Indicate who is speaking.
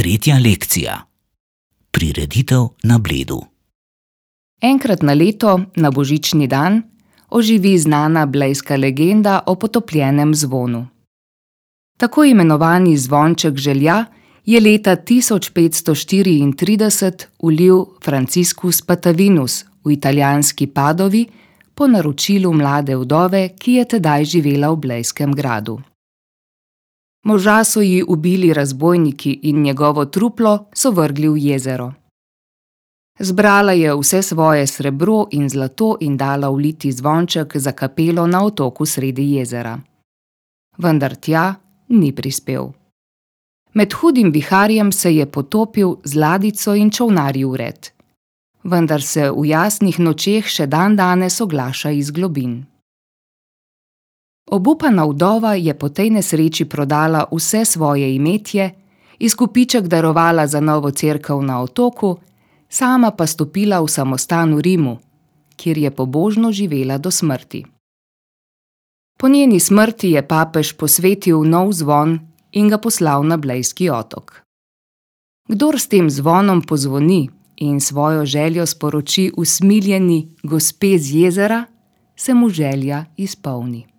Speaker 1: Tretja lekcija. Prireditev na Bledu.
Speaker 2: Enkrat na leto, na božični dan, oživi znana blejska legenda o potopljenem zvonu. Tako imenovani zvonček želja je leta 1534 ulil Franciscus Patavinus v italijanski Padovi po naročilu mlade vdove, ki je tedaj živela v blejskem gradu. Moža so ji ubili razbojniki in njegovo truplo so vrgli v jezero. Zbrala je vse svoje srebro in zlato in dala vliti zvonček za kapelo na otoku sredi jezera. Vendar tja ni prispel. Med hudim viharjem se je potopil z ladjico in čolnarji vred. Vendar se v jasnih nočeh še dandanes oglaša iz globin. Obupana vdova je po tej nesreči prodala vse svoje imetje, izkupiček darovala za novo cerkev na otoku, sama pa stopila v samostan v Rimu, kjer je pobožno živela do smrti. Po njeni smrti je papež posvetil nov zvon in ga poslal na blejski otok. Kdor s tem zvonom pozvoni in svojo željo sporoči usmiljeni gospe z jezera, se mu želja izpolni.